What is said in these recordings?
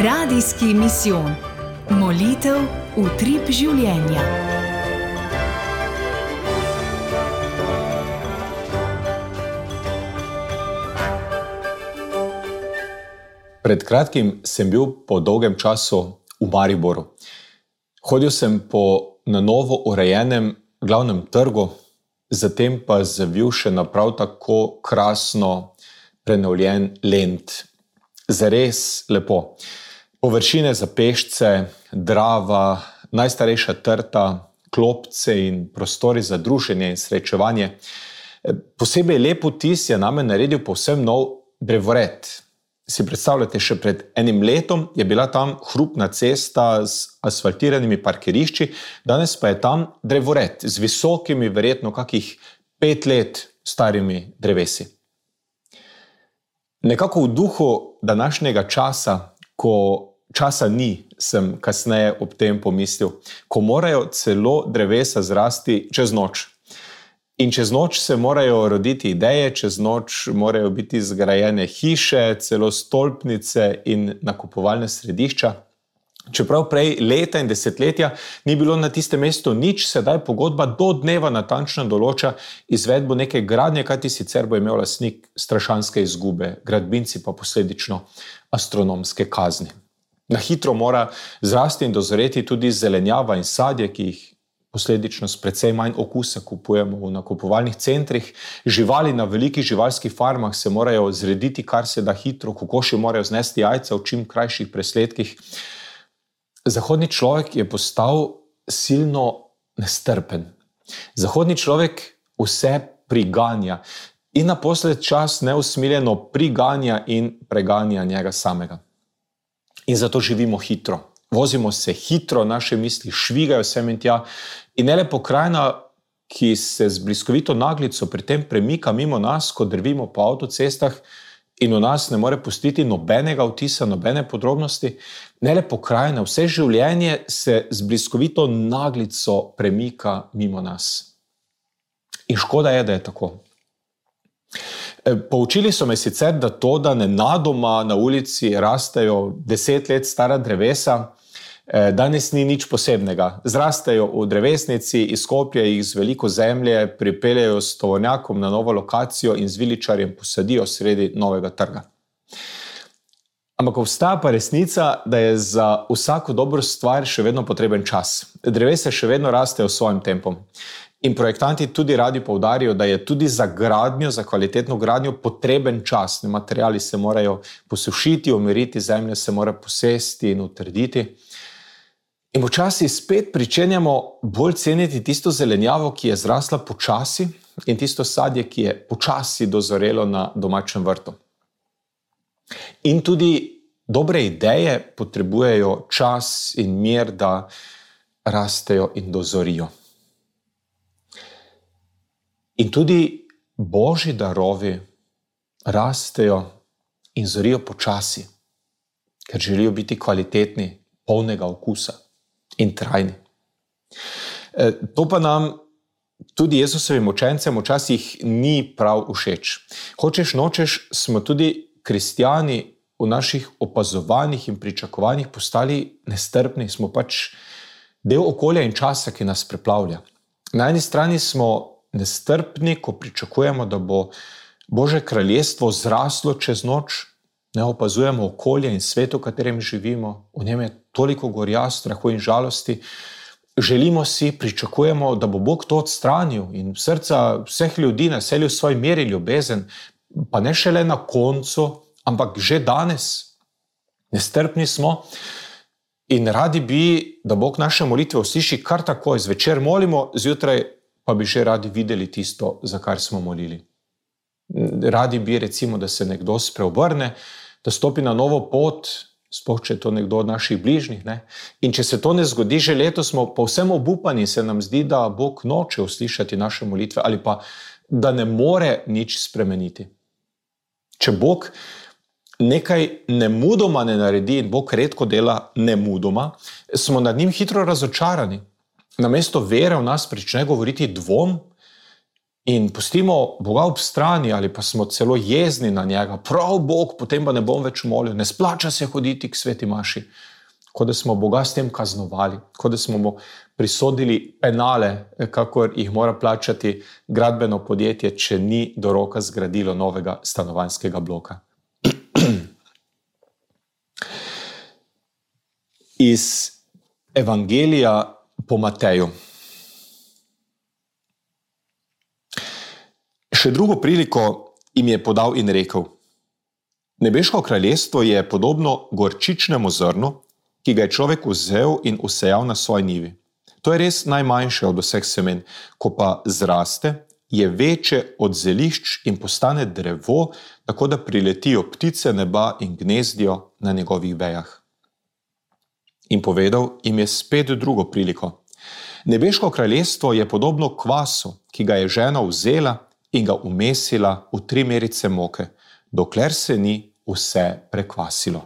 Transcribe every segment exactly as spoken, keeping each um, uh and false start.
Radijski misijon. Molitev utrip življenja. Pred kratkim sem bil po dolgem času v Mariboru. Hodil sem po na novo urejenem glavnem trgu, zatem pa zavil še na prav tako krasno prenovljen Lent. Zares lepo. Površine za pešce, Drava, najstarejša trta, klopce in prostori za druženje in srečevanje. Posebej lep vtis je name naredil povsem nov drevored. Si predstavljate, še pred enim letom je bila tam hrupna cesta z asfaltiranimi parkirišči, danes pa je tam drevored z visokimi, verjetno kakih pet let starimi drevesi. Nekako v duhu današnjega časa, ko časa ni, sem kasneje ob tem pomislil, ko morajo celo drevesa zrasti čez noč. In čez noč se morajo roditi ideje, čez noč morajo biti zgrajene hiše, celo stolpnice in nakupovalne središča. Čeprav prej leta in desetletja ni bilo na tistem mestu nič, sedaj pogodba do dneva natančno določa izvedbo neke gradnje, kajti sicer bo imel lastnik strašanske izgube, gradbinci pa posledično astronomske kazni. Na hitro mora zrasti in dozoreti tudi zelenjava in sadje, ki jih posledično s precej manj okusa kupujemo v nakupovalnih centrih. Živali na velikih živalskih farmah se morajo zrediti kar se da hitro, kokoši morajo znesti jajca v čim krajših presledkih. Zahodni človek je postal silno nestrpen. Zahodni človek vse priganja in naposled čas neusmiljeno priganja in preganja njega samega. In zato živimo hitro. Vozimo se hitro, naše misli švigajo sem in tja in ne le pokrajina, ki se z bliskovito naglico pri tem premika mimo nas, ko drvimo po avtocestah in v nas ne more pustiti nobenega vtisa, nobene podrobnosti, ne le pokrajina, vse življenje se z bliskovito naglico premika mimo nas. In škoda je, da je tako. Poučili so me sicer, da to, da nenadoma na ulici rastejo deset let stara drevesa, danes ni nič posebnega. Zrastejo v drevesnici, izkopljejo jih z veliko zemlje, pripeljejo s tovornjakom na novo lokacijo in z viličarjem posadijo sredi novega trga. Ampak obstaja pa resnica, da je za vsako dobro stvar še vedno potreben čas. Drevesa še vedno rastejo svojim tempom. In projektanti tudi radi poudarijo, da je tudi za gradnjo, za kvalitetno gradnjo potreben čas. Materiali se morajo posušiti, umiriti, zemlja se mora posesti in utrditi. In počasi spet pričenjamo bolj ceniti tisto zelenjavo, ki je zrasla počasi, in tisto sadje, ki je počasi dozorelo na domačem vrtu. In tudi dobre ideje potrebujejo čas in mir, da rastejo in dozorijo. In tudi Božji darovi rastejo in zorijo počasi, ker želijo biti kvalitetni, polnega okusa in trajni. To pa nam tudi Jezusovim učencem včasih ni prav všeč. Hočeš nočeš, smo tudi kristjani v naših opazovanjih in pričakovanjih postali nestrpni, smo pač del okolja in časa, ki nas preplavlja. Na eni strani smo nestrpni, ko pričakujemo, da bo Božje kraljestvo zraslo čez noč, ne opazujemo okolje in svet, v katerem živimo, v njem je toliko gorja, strahu in žalosti. Želimo si, pričakujemo, da bo Bog to odstranil in srca vseh ljudi naselil svoj mir in ljubezen, pa ne šele na koncu, ampak že danes. Nestrpni smo in radi bi, da Bog naše molitve usliši kar takoj. Zvečer molimo, zjutraj pa bi že radi videli tisto, za kar smo molili. Radi bi, recimo, da se nekdo spreobrne, da stopi na novo pot, sploh če je to nekdo od naših bližnjih. Ne? In če se to ne zgodi že letos, smo povsem obupani, se nam zdi, da Bog noče uslišati naše molitve ali pa da ne more nič spremeniti. Če Bog nekaj nemudoma ne naredi, in Bog redko dela nemudoma, smo nad njim hitro razočarani. Namesto vere v nas prične govoriti dvom in pustimo Boga ob strani ali pa smo celo jezni na njega, prav Bog, potem pa ne bom več molil, ne splača se hoditi k sveti maši, kot da smo Boga s tem kaznovali, kot da smo mu prisodili penale, kakor jih mora plačati gradbeno podjetje, če ni do roka zgradilo novega stanovanjskega bloka. Iz Evangelija po Mateju. Še drugo priliko jim je podal in rekel: Nebeško kraljestvo je podobno gorčičnemu zrnu, ki ga je človek vzel in usejal na svoji njivi. To je res najmanjše od vseh semen, ko pa zraste, je večje od zelišč in postane drevo, tako da priletijo ptice neba in gnezdijo na njegovih vejah. In povedal jim je spet drugo priliko. Nebeško kraljestvo je podobno kvasu, ki ga je žena vzela in ga umesila v tri merice moke, dokler se ni vse prekvasilo.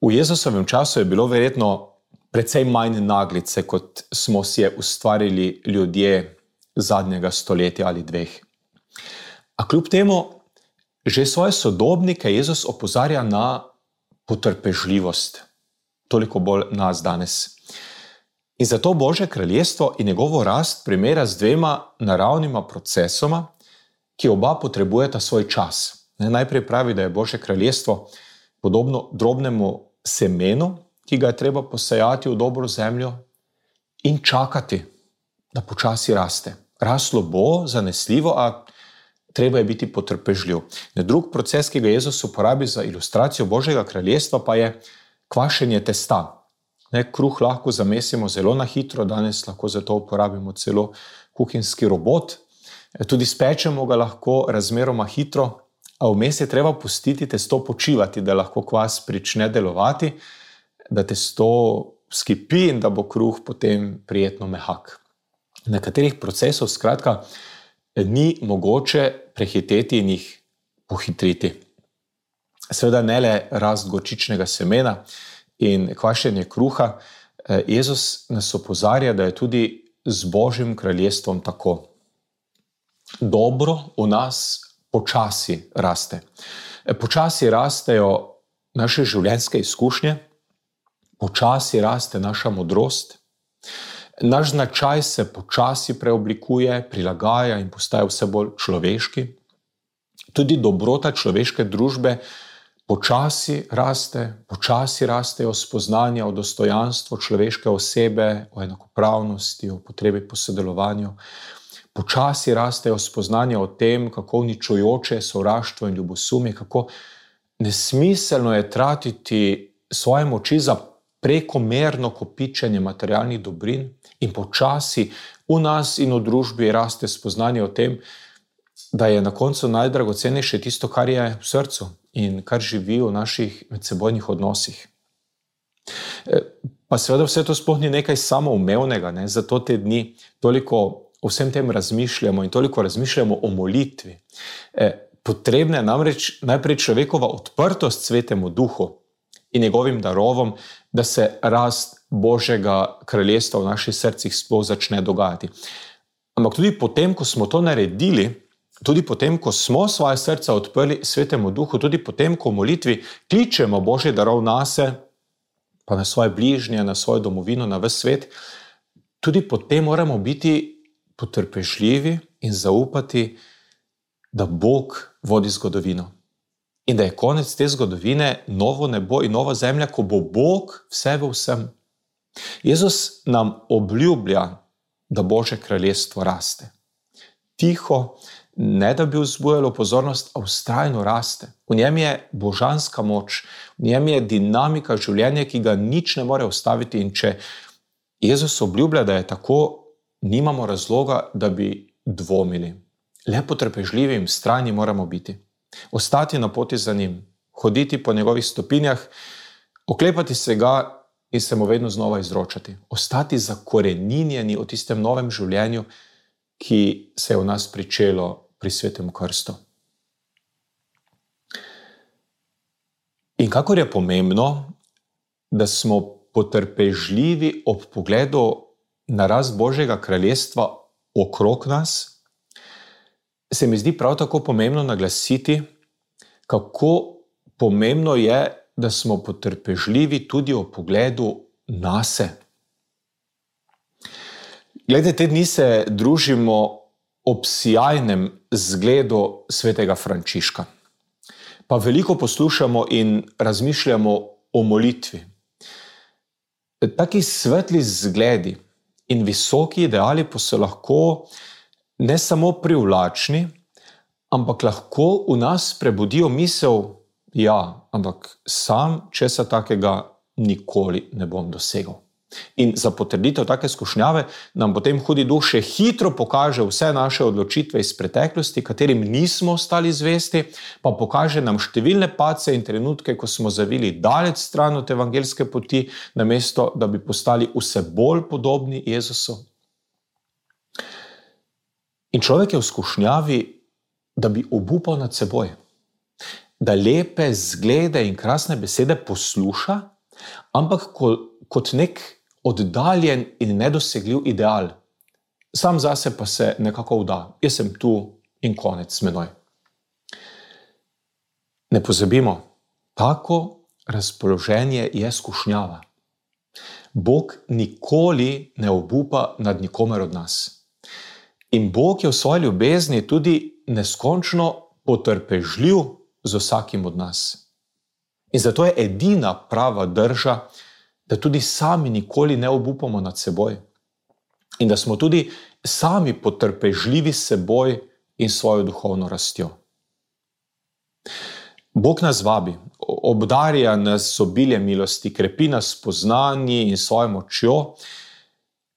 V Jezusovem času je bilo verjetno precej manj naglice, kot smo si je ustvarili ljudje zadnjega stoletja ali dveh. A kljub temu, že svoje sodobnike Jezus opozarja na potrpežljivost, toliko bolj nas danes. In zato Božje kraljestvo in njegovo rast primera z dvema naravnima procesoma, ki oba potrebujeta svoj čas. Najprej pravi, da je Božje kraljestvo podobno drobnemu semenu, ki ga je treba posejati v dobro zemljo in čakati, da počasi raste. Raslo bo zanesljivo, a treba je biti potrpežljiv. Drug proces, ki ga Jezus uporabi za ilustracijo Božjega kraljestva, pa je kvašenje testa. Ne, kruh lahko zamesimo zelo na hitro, danes lahko za to uporabimo celo kuhinjski robot. Tudi spečemo ga lahko razmeroma hitro, a vmes je treba pustiti testo počivati, da lahko kvas prične delovati, da testo skipi in da bo kruh potem prijetno mehak. Nekaterih procesov skratka ni mogoče prehiteti in jih pohitriti. Seveda ne le rast gorčičnega semena in kvašenje kruha, Jezus nas opozarja, da je tudi z Božjim kraljestvom tako. Dobro v nas počasi raste. Počasi rastejo naše življenjske izkušnje, počasi raste naša modrost, naš značaj se počasi preoblikuje, prilagaja in postaja vse bolj človeški. Tudi dobrota človeške družbe počasi raste, počasi rastejo spoznanja o dostojanstvu človeške osebe, o enakopravnosti, o potrebi po sodelovanju. Počasi rastejo spoznanja o tem, kako uničujoče je sovraštvo in ljubosumje, kako nesmiselno je tratiti svoje moči za prekomerno kopičenje materialnih dobrin in počasi v nas in v družbi raste spoznanje o tem, da je na koncu najdragocenejše tisto, kar je v srcu in kar živi v naših medsebojnih odnosih. Pa seveda vse to sploh ni nekaj samoumevnega, ne? Zato te dni toliko o vsem tem razmišljamo in toliko razmišljamo o molitvi. Potrebna je namreč najprej človekova odprtost Svetemu Duhu in njegovim darovom, da se rast Božjega kraljestva v naših srcih sploh začne dogajati. Ampak tudi potem, ko smo to naredili, tudi potem, ko smo svoje srca odprli Svetemu Duhu, tudi potem, ko v molitvi kličemo Božji darov nase, pa na svoje bližnje, na svojo domovino, na ves svet, tudi potem moramo biti potrpežljivi in zaupati, da Bog vodi zgodovino. In da je konec te zgodovine novo nebo in nova zemlja, ko bo Bog vse v vsem. Jezus nam obljublja, da Božje kraljestvo raste. Tiho, ne da bi vzbujalo pozornost, a vztrajno raste. V njem je božanska moč, v njem je dinamika življenja, ki ga nič ne more ustaviti. In če Jezus obljublja, da je tako, nimamo razloga, da bi dvomili. Le potrpežljivi in vztrajni moramo biti. Ostati na poti za njim, hoditi po njegovih stopinjah, oklepati se ga in se mu vedno znova izročati. Ostati zakoreninjeni v tistem novem življenju, ki se je v nas pričelo pri Svetem krstu. In kakor je pomembno, da smo potrpežljivi ob pogledu na rast Božjega kraljestva okrog nas, se mi zdi prav tako pomembno naglasiti, kako pomembno je, da smo potrpežljivi tudi v pogledu nase. Glede, te dni se družimo ob sijajnem zgledu svetega Frančiška. Pa veliko poslušamo in razmišljamo o molitvi. Taki svetli zgledi in visoki ideali pa so lahko ne samo privlačni, ampak lahko v nas prebudijo misel, ja, ampak sam česa takega nikoli ne bom dosegel. In za potrditev take skušnjave nam potem hudi duh še hitro pokaže vse naše odločitve iz preteklosti, katerim nismo ostali zvesti, pa pokaže nam številne padce in trenutke, ko smo zavili daleč stran od evangeljske poti, namesto da bi postali vse bolj podobni Jezusu. In človek je v skušnjavi, da bi obupal nad seboj, da lepe zglede in krasne besede posluša, ampak kot nek oddaljen in nedosegljiv ideal. Sam zase pa se nekako vda. Jaz sem tu in konec s menoj. Ne pozabimo, tako razpoloženje je skušnjava. Bog nikoli ne obupa nad nikomer od nas. In Bog je v svoji ljubezni tudi neskončno potrpežljiv z vsakim od nas. In zato je edina prava drža, da tudi sami nikoli ne obupamo nad seboj in da smo tudi sami potrpežljivi s seboj in svojo duhovno rastjo. Bog nas vabi, obdarja nas z obiljem milosti, krepi nas s poznanji in svojo močjo,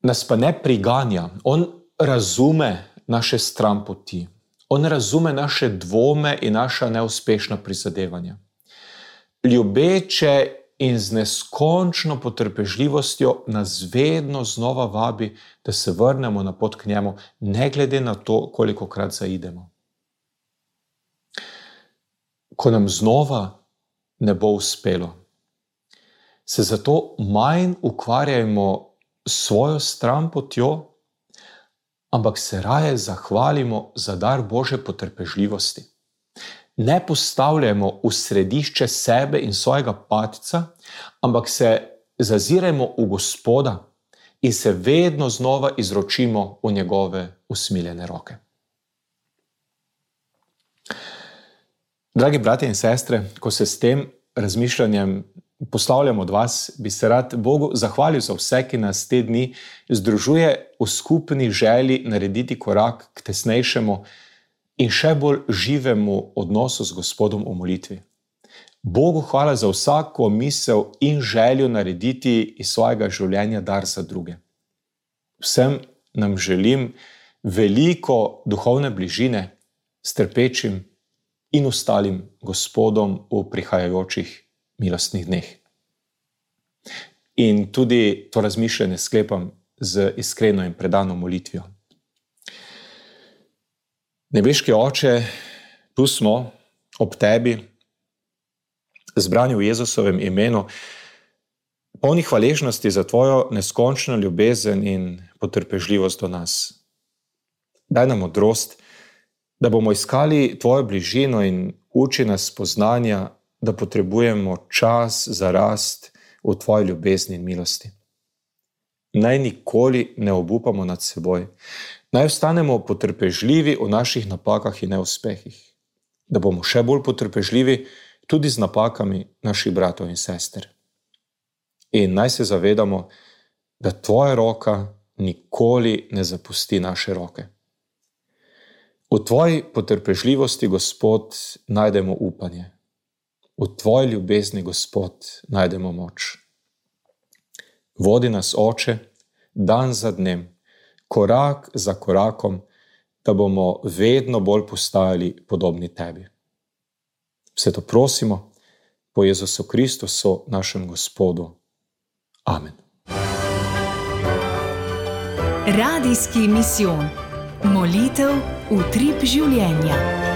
nas pa ne priganja. On razume naše stranpoti, on razume naše dvome in naša neuspešna prizadevanja. Ljubeče in z neskončno potrpežljivostjo nas vedno znova vabi, da se vrnemo na pot k njemu, ne glede na to, kolikokrat zaidemo. Ko nam znova ne bo uspelo, se zato manj ukvarjajmo s svojo stranpotjo, ampak se raje zahvalimo za dar Božje potrpežljivosti. Ne postavljamo v središče sebe in svojega padca, ampak se zazirajmo v Gospoda in se vedno znova izročimo v njegove usmiljene roke. Dragi bratje in sestre, ko se s tem razmišljanjem poslavljam od vas, bi se rad Bogu zahvalil za vse, ki nas te dni združuje v skupni želji narediti korak k tesnejšemu in še bolj živemu odnosu z Gospodom v molitvi. Bogu hvala za vsako misel in željo narediti iz svojega življenja dar za druge. Vsem nam želim veliko duhovne bližine s trpečim in ostalim Gospodom v prihajajočih milostnih dneh. In tudi to razmišljanje sklepam z iskreno in predano molitvijo. Nebeški Oče, tu smo ob tebi, zbrani v Jezusovem imenu, polni hvaležnosti za tvojo neskončno ljubezen in potrpežljivost do nas. Daj nam modrost, da bomo iskali tvojo bližino in uči nas spoznanja, da potrebujemo čas za rast v tvoji ljubezni in milosti. Naj nikoli ne obupamo nad seboj, naj ostanemo potrpežljivi v naših napakah in neuspehih, da bomo še bolj potrpežljivi tudi z napakami naših bratov in sester. In naj se zavedamo, da tvoja roka nikoli ne zapusti naše roke. V tvoji potrpežljivosti, Gospod, najdemo upanje. V tvoji ljubezni, Gospod, najdemo moč. Vodi nas, Oče, dan za dnem, korak za korakom, da bomo vedno bolj postajali podobni tebi. Vse to prosimo po Jezusu Kristusu, našem Gospodu. Amen. Radijski misijon. Molitev, utrip življenja.